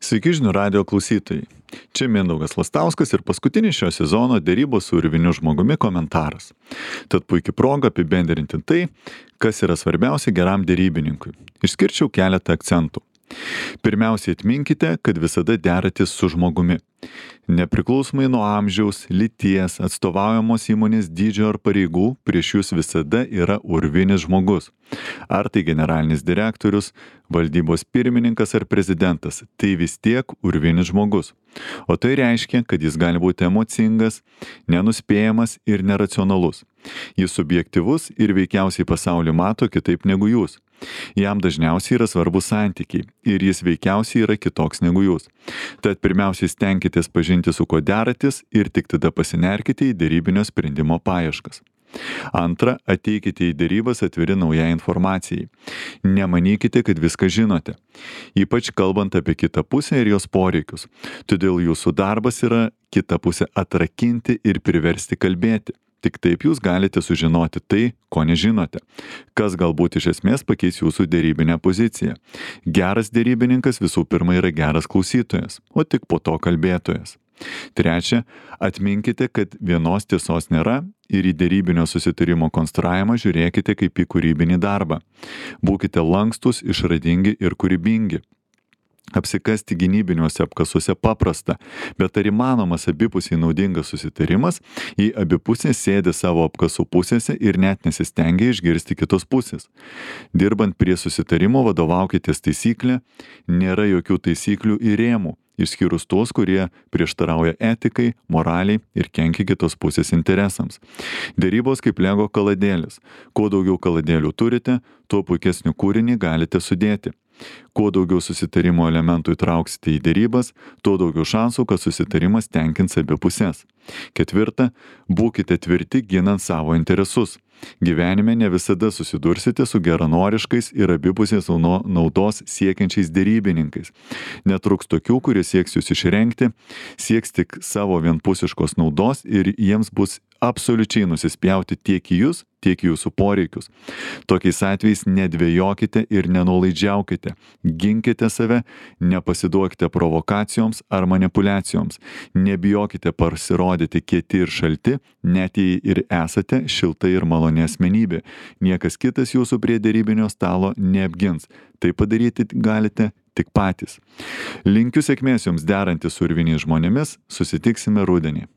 Sveiki žinių radio klausytojai. Čia Mindaugas Lastauskas ir paskutinis šio sezono derybos su urviniu žmogumi komentaras. Tad puikia proga apibendrinti tai, kas yra svarbiausia geram derybininkui. Išskirčiau keletą akcentų. Pirmiausiai atminkite, kad visada deratės su žmogumi. Nepriklausomai nuo amžiaus, lyties, atstovaujamos įmonės dydžio ar pareigų, prieš jūs visada yra urvinis žmogus. Ar tai generalinis direktorius, valdybos pirmininkas ar prezidentas, tai vis tiek urvinis žmogus. O tai reiškia, kad jis gali būti emocingas, nenuspėjamas ir neracionalus. Jis subjektyvus ir veikiausiai pasaulį mato kitaip negu jūs. Jam dažniausiai yra svarbus santykiai ir jis veikiausiai yra kitoks negu jūs. Tad pirmiausiai stenkitės pažinti, su kuo deratis ir tik tada pasinerkite į derybinio sprendimo paieškas. Antra, ateikite į derybas atviri naujai informacijai. Nemanykite, kad viską žinote. Ypač kalbant apie kitą pusę ir jos poreikius. Todėl jūsų darbas yra kitą pusę atrakinti ir priversti kalbėti. Tik taip jūs galite sužinoti tai, ko nežinote, kas galbūt iš esmės pakeis jūsų derybinę poziciją. Geras derybininkas visų pirma yra geras klausytojas, o tik po to kalbėtojas. Trečia, atminkite, kad vienos tiesos nėra ir į derybinio susitarimo konstravimą žiūrėkite kaip į kūrybinį darbą. Būkite lankstus, išradingi ir kūrybingi. Apsikasti gynybiniuose apkasuose paprasta, bet ar įmanomas abipusiai naudingas susitarimas, jei abi pusės sėdi savo apkasų pusėse ir net nesistengia išgirsti kitos pusės. Dirbant prie susitarimo vadovaukitės taisyklę, nėra jokių taisyklių ir rėmų, išskyrus tuos, kurie prieštarauja etikai, moraliai ir kenkia kitos pusės interesams. Derybos kaip Lego kaladėlis. Kuo daugiau kaladėlių turite, tuo puikesnių kūrinį galite sudėti. Kuo daugiau susitarimo elementų įtrauksite į derybas, tuo daugiau šansų, kad susitarimas tenkins abi pusės. Ketvirta, būkite tvirti ginant savo interesus. Gyvenime ne visada susidursite su geranoriškais ir abipusės naudos siekiančiais derybininkais. Netruks tokių, kurie sieks jūs išrengti, sieks tik savo vienpusiškos naudos ir jiems bus absoliučiai nusispjauti tiek į jūs, tiek į jūsų poreikius. Tokiais atvejais nedvejokite ir nenuolaidžiaukite. Ginkite save, nepasiduokite provokacijoms ar manipuliacijoms. Nebijokite pasirodyti kieti ir šalti, net jei ir esate šilta ir maloni asmenybė. Niekas kitas jūsų prie derybinio stalo neapgins. Tai padaryti galite tik patys. Linkiu sėkmės jums derantis su urviniais žmonėmis, susitiksime rudenį.